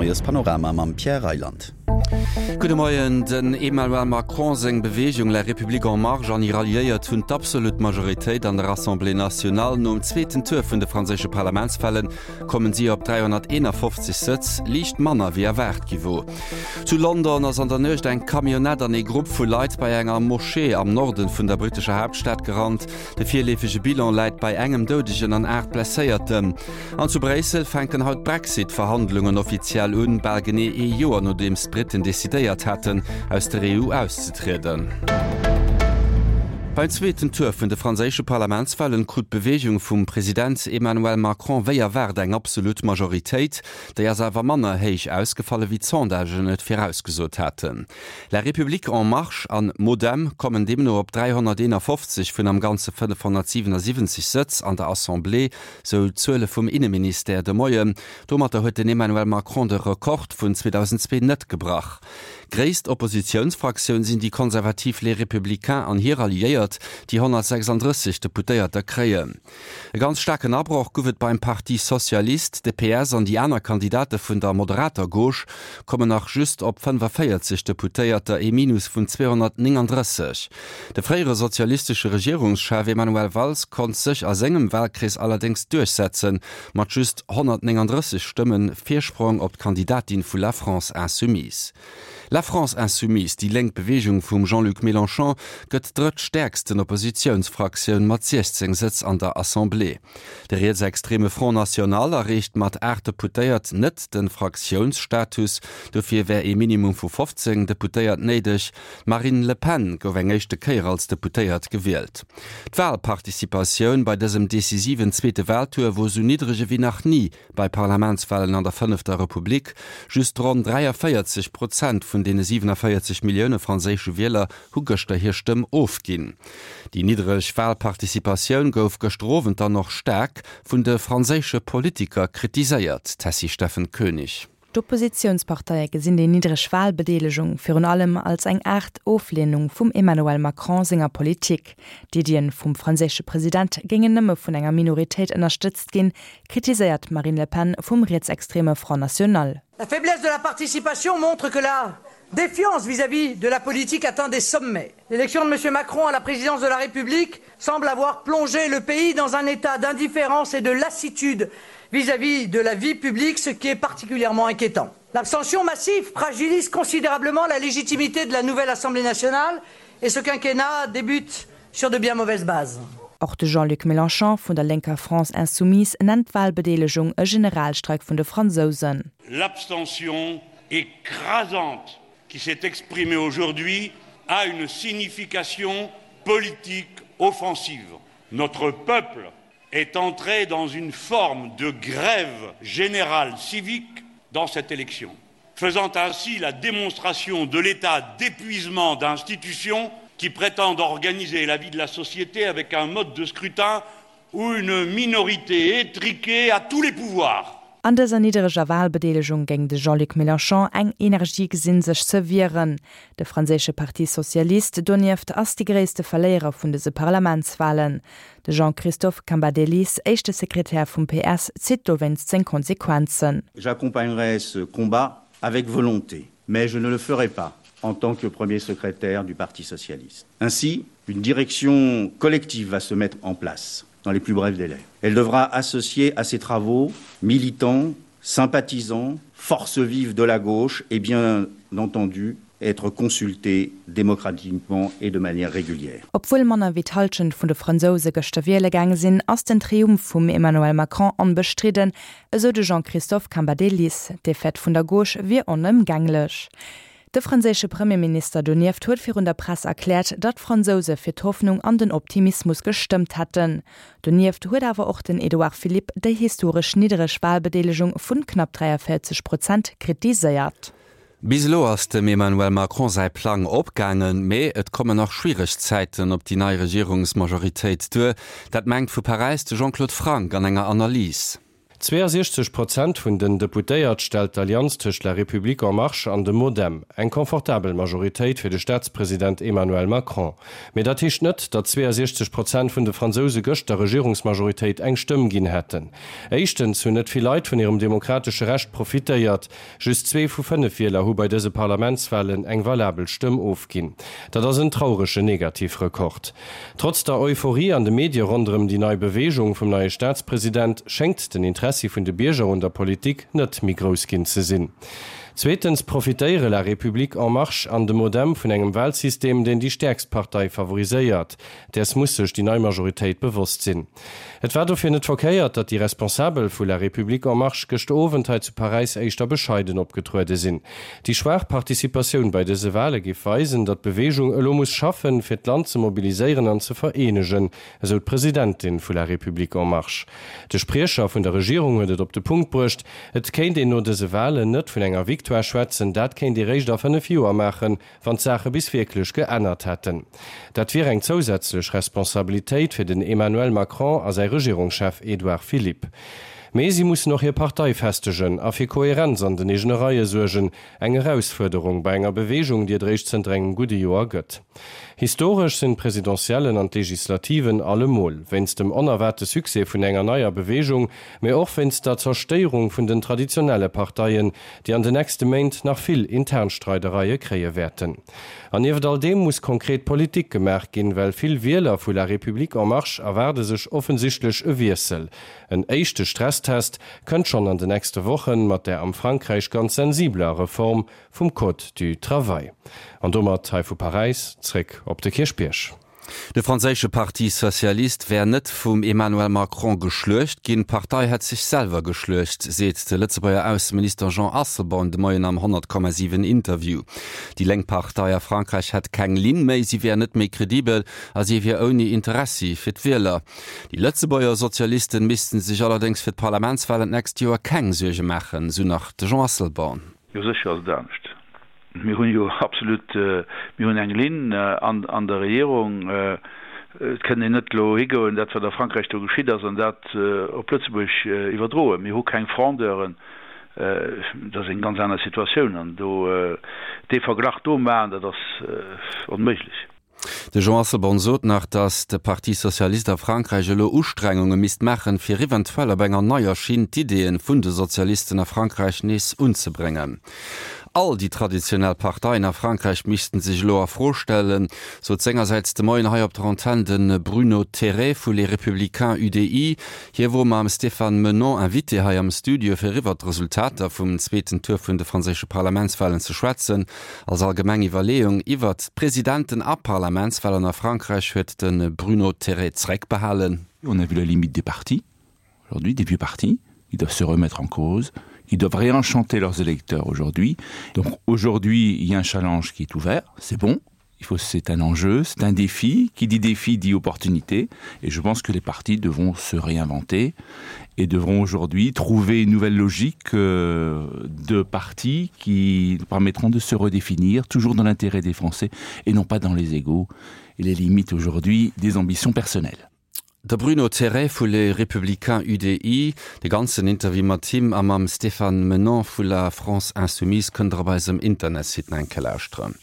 Moiespanorama mam Pierre Reyland. Gudde Moien. Den Emmanuel Macron seng Beweegung La République en Marche an hir Alliéiert hunn d'absolut Majoritéit an der Assemblée nationale. Nom zweeten Tour vun de franséische Parlamentswale kommen si op 351 Sëtz, liicht manner wéi erwaart gi wor. Zu London ass an der Nuecht eng Camionnette an ee Grupp vu Leit bei enger Moschee am Norden vun der brittescher Haaptstad gerannt. De virleefege Bilan läit bei engem Doudegen an 8 Blesséierten. An zu Bréissel fänken haut d'Brexit-Verhandlungen offiziell un, bal genee ee Joer nodeems d'Britten decidéiert haten, aus der EU auszetrieden. Beim zweeten Tour vun de franséische Parlamentswalen krut d'Beweegung vum President Emmanuel Macron wéi erwaart eng absolut Majoritéit. Déi ass awer manner héich ausgefallen, wéi d'Sondagen et virausgesot haten. La République en Marche an MoDem kommen deemno op 351 vun am Ganze 577 Sëtz an der Assemblée, sou d'Zuele vum Inneministère de Moien. Domatter huet den Emmanuel Macron de Rekord vun 2002 net gebrach. Gréisst Oppositiounsfraktioun sinn déi konservativ Les Républicains an hir Alliéiert, déi 136 Deputéierter kréien. E ganz staarken Abroch guff et beim Parti Socialiste. De PS an déi aner Kandidate vun der moderater Gauche kommen nach just op 45 Deputéierter, ee Minus vun 239. De fréiere sozialistesche Regierungschef Emmanuel Valls konnt sech a sengem Walkrees allerdéngs duerchsetzen, mat just 139 Stëmme Virsprong op d'Kandidatin vu La France Insoumise. La France Insoumise, déi lénk Beweegung vum Jean-Luc Mélenchon, gëtt drëttstäerksten Oppositiounsfraktioun mat 16 Sëtz an der Assemblée. De rietsextreme Front National erreecht mat 8 Deputéiert net de Fraktiounsstatus, dofir wär ee Minimum vu 15 Deputéiert néideg. D'Marine Le Pen gouf eng éischte Kéier als Deputéiert gewielt. D'Walparticipatioun bei dësem decisiven zweete Waltour wor sou niddreg ewéi nach ni bei Parlamentswalen an der fënnefter Republik. Just ronn 43 Prozent vun deene 47 Millioune franséische Wieler hu gëschter hir Stëmm ofginn. Déi niddreg Walparticipatioun gouf gëschter Owend dann och staark vun de franséische Politiker kritiséiert, Tessy Steffen Koenig. D'Oppositiounsparteie gesinn déi niddreg Walbedeelegung virun allem als eng Aart Ofleenung vum Emmanuel Macron senger Politik. D'Iddien vum franséische President géingen nëmme vun enger Minoritéit ënnerstëtzt ginn, kritiséiert d'Marine Le Pen vum rietsextreme Front National. La faiblesse de la participation montre que la défiance vis-à-vis de la politique atteint des sommets. L'élection de M. Macron à la présidence de la République semble avoir plongé le pays dans un état d'indifférence et de lassitude vis-à-vis de la vie publique, ce qui est particulièrement inquiétant. L'abstention massive fragilise considérablement la légitimité de la nouvelle Assemblée nationale et ce quinquennat débute sur de bien mauvaises bases. Och de Jean-Luc Mélenchon vun der lénker France Insoumise nennt d'Walbedeelegung e Generalstreik vun de Fransousen. L'abstention écrasante qui s'est exprimée aujourd'hui a une signification politique offensive. Notre peuple est entré dans une forme de grève générale civique dans cette élection, faisant ainsi la démonstration de l'état d'épuisement d'institutions qui prétendent organiser la vie de la société avec un mode de scrutin où une minorité étriquée a tous les pouvoirs. An dëser niddereger Walbedeelegung géing de Jean-Luc Mélenchon eng Energie gesinn, sech ze wieren. De franséische Parti Socialiste donieft ass de gréisste Verléierer vun dëse Parlamentswalen. De Jean-Christophe Cambadélis, éischte Sekretär vum PS, zitt dowéinst seng Konsequenzen. J'accompagnerai ce combat avec volonté, mais je ne le ferai pas en tant que premier secrétaire du Parti socialiste. Ainsi, une direction collective va se mettre en place dans les plus brefs délais. Elle devra associer à ses travaux militants, sympathisants, forces vives de la gauche et bien entendu être consultée démocratiquement et de manière régulière. Obwuel manner wéi d'Hallschent vun de Fransouse gëschter wiele gaange sinn, ass den Triumph vum Emmanuel Macron onbestridden, esou de Jean-Christophe Cambadélis. D'Defaite vun der Gauche wier onëmgänglech. De franséische Premierminister donieft huet virun der Press erkläert, datt d'Fransouse fir d'Hoffnung an den Optimismus gestëmmt hätten. Donieft huet awer och den Edouard Philippe déi historesch niddereg Walbedeelegung vun knapp 43 Prozent kritiséiert. Bis elo ass dem Emmanuel Macron säi Plang opgaangen, mee et kommen nach schwiereg Zäiten op déi nei Regierungsmajoritéit duer. Dat mengt vu Paräis de Jean-Claude Franck an enger Analys. 62 Prozent vun den Deputéiert stellt d'Allianz tëscht La République En Marche an dem MoDem. Eng confortabel Majoritéit fir de Staatspresident Emmanuel Macron. Mee dat heescht net, datt 62 Prozent vun de Fransouse gëscht der Regierungsmajoritéit eng Stëmm ginn hätten. Éischtens hunn net vill Leit vun hirem demokratesche Recht profitéiert. Just zwee vu 5 Wieler hu bei dëse Parlamentswalen eng valabel Stëmm ofginn. Dat ass en trauregen Negativrekord. Trotz der Euphorie an de Medie ronderëm déi nei Beweegung vum neie Staatspresident schéngt den Interessi vun de Bierger un der Politik net méi grouss ginn ze sinn. Zweetens profitéiere La République En Marche an de MoDem vun engem Walsystem, deen déi stäerkst Partei favoriséiert. Däers muss sech déi nei Majoritéit bewosst sinn. Et war dofir net verkéiert, datt déi Responsabel vu La République En Marche gëschter Owend hei zu Paräis éischter bescheiden opgetruede sinn. Déi schwaach Participatioun bei dëse Wale géif weisen, datt d'Beweegung elo muss schaffen, fir d'Land ze mobiliséieren an ze vereenegen, esou d'Presidentin vu La République En Marche. De Spriecher vun der Regierung huet et op de Punkt bruecht, Et kéint een no dëse Walen net vun enger Victoire schwätzen, dat kéint ee réischt a 5 Joer maachen, wann d'Saache bis wierklech geännert hätten. Dat wier eng zousätzlech Responsabilitéit fir den Emmanuel Macron a säi Regierungschef Edouard Philippe. Mee si mussen och hir Partei festegen a fir Koherenz an den eegene Reie suergen, eng Erausfuerderung bei enger Beweegung, déi et eréischt zënter engem gudde Joer gëtt. Historesch sinn d'Presidentiellen an d'Legislativen allemol, wéinst dem onerwaarte Succès vun enger neier Beweegung, mee och wéinst der Zerstéierung vun den traditionelle Parteien, déi an de nächste Méint nach vill intern Streidereie kréie wäerten. An nieft all deem muss konkret Politik gemaach ginn, well vill Wieler vu La République En Marche erwaarde sech offensichtlech e Wiessel. En éischte Stresstest kënnt schonn an de nächste Wochen mat der am Frankräich ganz sensibeler Reform vum Code du Travail. An domat hei vu Paräis zréck op de Kierchbierg. De franséische Parti Socialiste wär net vum Emmanuel Macron geschluecht ginn, d'Partei hätt sech selwer geschluecht, seet de Lëtzebuerger Ausseminister Jean Asselborn de Moien am 100,7 Interview. Déi lénk Partei a Frankräich hätt keng Linn méi, si wär net méi kredibel a si wier ouni Interessi fir d'Wieler. Déi Lëtzebuerger Sozialisten missten sech allerdéngs fir d'Parlamentswalen d'nächst Joer keng Suerge maachen, sou nach de Jean Asselborn. Jo sécher ass et anescht. Mir hunn jo absolut, mir hunn eng Linn an der Regierung. Et kënnt een net elo higoen, dat wat a Frankräich do geschitt ass, an dat op Lëtzebuerg iwwerdroen. Mir hu keng Frondeuren, dat ass eng ganz aner Situatioun an do dee Verglach do maachen, dat ass onméiglech. De Jean Asselborn sot nach, datt de Parti Socialiste a Frankräich elo Ustrengunge misst maachen, fir eventuell op enger neier Schinn d'Ideeën vun de Sozialisten a Frankräich nees unzebréngen. All déi traditionell Parteien a Frankräich missten sech elo a Fro stellen, sot sengersäits de Moien hei op der Antenn de Bruno Théret vu Les Républicains UDI. Hie wor mam Stéphane Menon Invité hei am Studio, fir iwwert d'Resultater vum zweeten Tour vun de franséische Parlamentswalen ze schwätzen. Als allgemeng Iwwerleeung iwwert d'Presidenten a Parlamentswalen a Frankräich huet de Bruno Théret zréckbehalen. On a vu la limite des partis aujourd'hui, des vieux partis qui doivent se remettre en cause, qui doivent réenchanter leurs électeurs aujourd'hui. Donc aujourd'hui, il y a un challenge qui est ouvert, c'est bon, il faut c'est un enjeu, c'est un défi, qui dit défi dit opportunité et je pense que les partis devront se réinventer et devront aujourd'hui trouver une nouvelle logique euh, de partis qui permettront de se redéfinir toujours dans l'intérêt des Français et non pas dans les égaux et les limites aujourd'hui des ambitions personnelles. De Bruno Théret vu Les Républicains UDI. De ganzen Interview mat him a mam Stéphane Menon vu La France Insoumise kënnt der op eisem Internetsite nach eng Kéier lauschteren.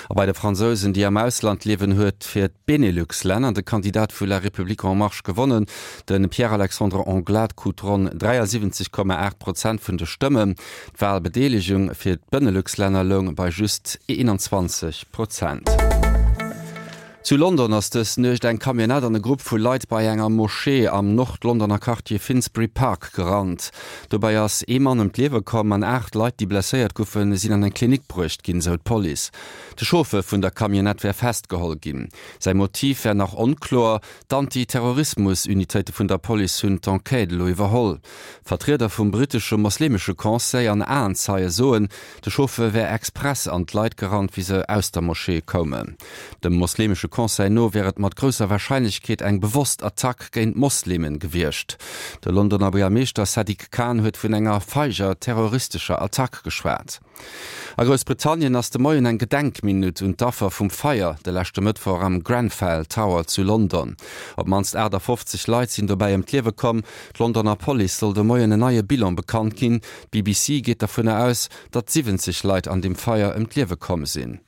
A bei de Fransousen, déi am Ausland liewen, huet fir d'Benelux-Länner de Kandidat vu La République En Marche gewonnen. De Pierre-Alexandre Anglade krut ronn 73,8 Prozent vun de Stëmmen. D'Walbedeelegung fir d'Benelux-Länner loung bei just 21 Prozent. Zu London ass dës Nuecht eng Camionnette an e Grupp vu Leit bei enger Moschee am Nord-Londoner Quartier Finsbury Park gerannt. Dobäi ass ee Mann ëm d'Liewe komm an 8 Leit, déi blesséiert goufen, sinn an eng Klinik bruecht ginn, sou d'Police. De Chauffeur vun der Camionnette wär festgeholl ginn. Säi Motiv wär nach onkloer. D'Anti-Terrorismus-Unitéite vun der Police hunn d'Enquête elo iwwerholl. Vertrieder vum brittesche moslemesche Conseil an Aenzeie soen, de Chauffeur wär express an d'Leit gerannt, wéi se aus der Moschee koumen. Dem moslemesche. Conseil no wär et mat grousser Warscheinlechkeet eng bewosst Attack géint Moslemen gewiescht. De Londoner Buergermeeschter Sadiq Khan huet vun enger feiger terroristescher Attack geschwat. A Groussbritannien ass de Moien eng Gedenkminutt un d'Affer vum Feier de leschte Mëttwoch am Grenfell Tower zu London. Op d'mannst 58 Leit sinn dobäi ëm d'Liewe komm. D'Londoner Police soll de Moien en neie Bilan bekannt ginn. D'BBC geet dervunner aus, datt 70 Leit an deem Feier ëm d'Liewe komm sinn.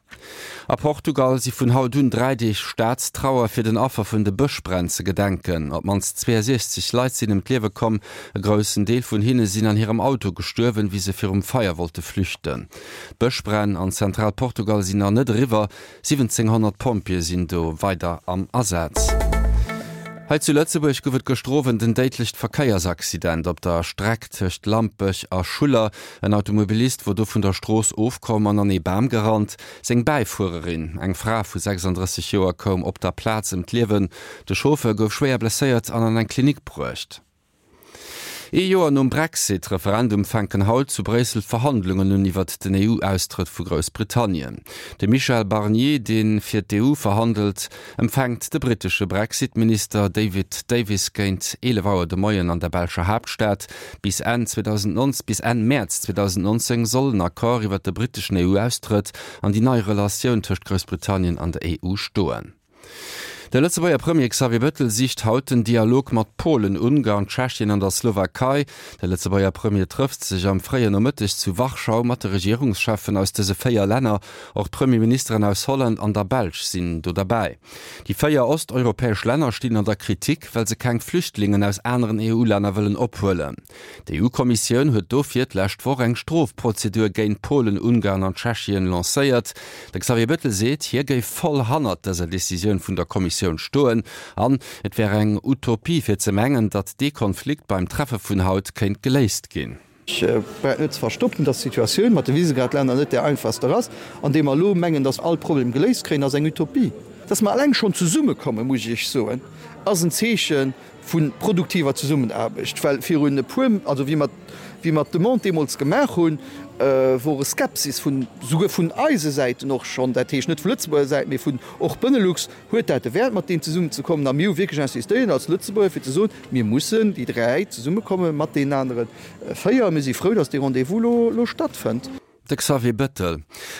A Portugal si vun haut un 3 Deeg Staatstrauer fir den Affer vun de Bëschbränn ze gedenken. Op d'mannst 62 Leit sinn ëm d'Liewe komm. E groussen Deel vun hinne sinn an hirem Auto gestuerwen, wéi se virum Feier wollte flüchten. D'Bëschbränn an Zentral-Portugal sinn nach net eriwwer. 1.700 Pompjeeë sinn do weider am Asaz. Hei zu Lëtzebuerg gouf et gëschter Owend en déidlecht Verkéiersaccident op der Streck tëscht Lampech a Schuller. En Automobilist wor do vun der Strooss ofkomm an an ee Bam gerannt. Seng Bäifuererin, eng Fra vu 36 Joer, koum op der Plaz ëm d'Liewen. De Chauffeur gouf schwéier blesséiert an an eng Klinik bruecht. Ee Joer nom Brexit-Referendum fänken haut zu Bréissel d'Verhandlungen un iwwert den EU-Austrëtt vu Groussbritannien. De Michel Barnier, dee fir d'EU verhandelt, empfänkt de brittesche Brexit-Minister David Davis géint 11 Auer de Moien an der belscher Haaptstad. Bis Enn 2019, bis Enn Mäerz 2019 soll en Accord iwwer de britteschen EU-Austrëtt an déi nei Relatioun tëscht Groussbritannien an der EU stoen. De Lëtzebuerger Premier Xavier Bettel sicht haut den Dialog mat Polen, Ungarn, Tschechien an der Slowakei. De Lëtzebuerger Premier trëfft sech am fréien Nomëtteg zu Warschau mat de Regierungscheffen aus dëse 4 Länner. Och d'Premierministeren aus Holland an der Belsch sinn do derbäi. Déi 4 osteuropäesch Länner stinn an der Kritik, well se keng Flüchtlingen aus aneren EU-Länner wëllen ophuelen. D'EU-Kommissioun huet dofir d'lescht Woch eng Strofprozedur géint Polen, Ungarn an Tschechien lancéiert. De Xavier Bettel seet, hie géif voll hannert dëser Decisioun vun der Kommissioun stoen an et wär eng Utopie fir ze mengen, datt dee Konflikt beim Treffe vun haut kéint geléist ginn. Ech brauch net ze verstoppen, dass d'Situatioun mat de Visegrad-Länner net där einfachster ass. An deem mer elo mengen, dass all Problem geléist kréien, ass eng Utopie. Dass mer eleng schonn zesummekommen, muss ech Iech soen, ass en Zeeche vu produktiver Zesummenaarbecht. Well virun e puer, also wéi mer, wéi mer d'Demande deemools gemaach hunn, wor e Skepsis vun, souguer vun eise Säiten och schonn, dat heescht net vu Lëtzebuerger Säit, mee vun och Benelux, Huet dat de Wäert, mat deem zesummenzekommen? A mir hu wierklech insistéiert als Lëtzebuerger, fir ze soen, Mir mussen, déi dräi, zesummekomme mat deenen anere véier. A mir si frou, datt dee Rendez-vous elo stattfënnt. De Xavier Bettel,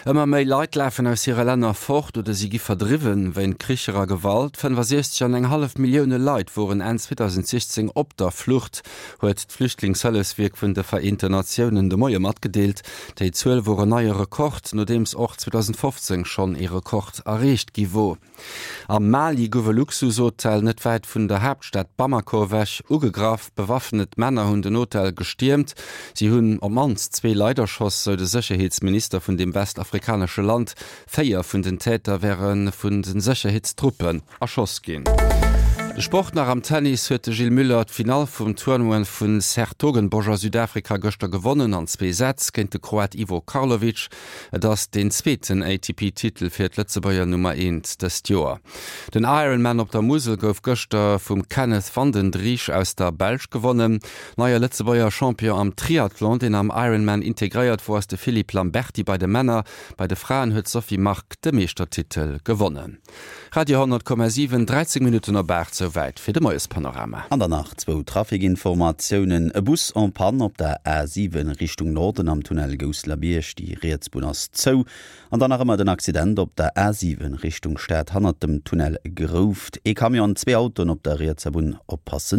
Ëmmer méi Leit lafen aus hire Länner fort oder si gi verdriwwen, wéint Kricher a Gewalt. 65 an eng hallef Millioune Leit woren Enn 2016 op der Flucht, huet d'Flüchtlingshëllefswierk vun de Vereenten Natiounen de Moie matgedeelt. Déi Zuel wor en neie Rekord, nodeems och 2015 schonn ee Rekord erreecht gi wor. Am Mali gouf e Luxushotel net wäit vun der Haaptstad Bamako ewech ugegraff. Bewaffnet Männer hunn den Hotel gestiermt. Si hunn op d'mannst zwee Leit erschoss, sou de Sécherheetsminister vun deem westafrikanesche Land. Véier vun den Täter wäre vun de Sécherheetstruppen erschoss ginn. De Sport nach, Am Tennis huet de Gilles Müller d'Finall vum Tournoi vu 's-Hertogenbosch a Südafrika gëschter gewonnen an zwee Sätz géint de Kroat Ivo Karlovic. Et ass deen zweeten ATP-Titel fir d'Lëtzebuerger Nummer Eent dëst Joer. Den Ironman op der Musel gouf gëschter vum Kenneth Vandendriessche aus der Belsch gewonnen. Neie Lëtzebuerger Champion am Triathlon, deen am Ironman integréiert wor, ass de Philippe Lamberty bei de Männer. Bei de Fraen huet d'Sophie Margue de Meeschtertitel gewonnen. Radio 10,7, 13 Minutten op 8, souwäit fir de Moiespanorama. An dann nach zwou Trafikinformatiounen, E Bus en panne op der A7 Richtung Norden am Tunnel Gousselerbierg, déi riets Bunn ass zou. An dann nach ëmmer den Accident op der A7 Richtung Stad hannert dem Tunnel Grouft. Ee Camion an zwee Autoen op der rietser Bunn, oppassen.